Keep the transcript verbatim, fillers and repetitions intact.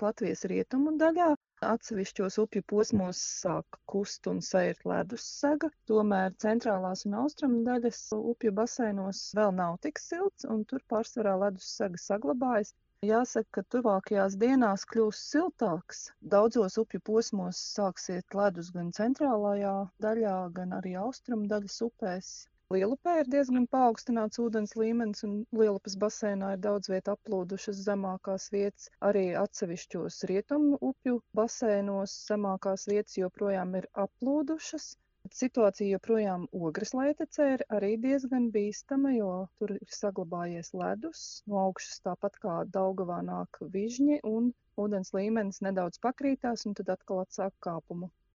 Latvijas rietumu daļā. Atsevišķos upju posmos sāk kust un sērt ledussega, tomēr centrālās un austrumu daļas upju baseinos vēl nav tik silts, un tur pārsvarā ledussega saglabājas. Jāsaka, ka tuvākajās dienās kļūs siltāks. Daudzos upju posmos sāksiet ledus gan centrālajā daļā, gan arī austrumu daļas upēs. Lielupē ir diezgan paaugstināts ūdens līmenis, un Lielupas baseinā ir daudz viet aplūdušas zemākās vietas. Arī atsevišķos rietumu upju baseinos zemākās vietas joprojām ir aplūdušas. Situācija joprojām Ogres lejtecē ir arī diezgan bīstama, jo tur ir saglabājies ledus. No augšas tāpat kā Daugavā nāk vižņi, un ūdens līmenis nedaudz pakrītās, un tad atkal atsāk kāpumu.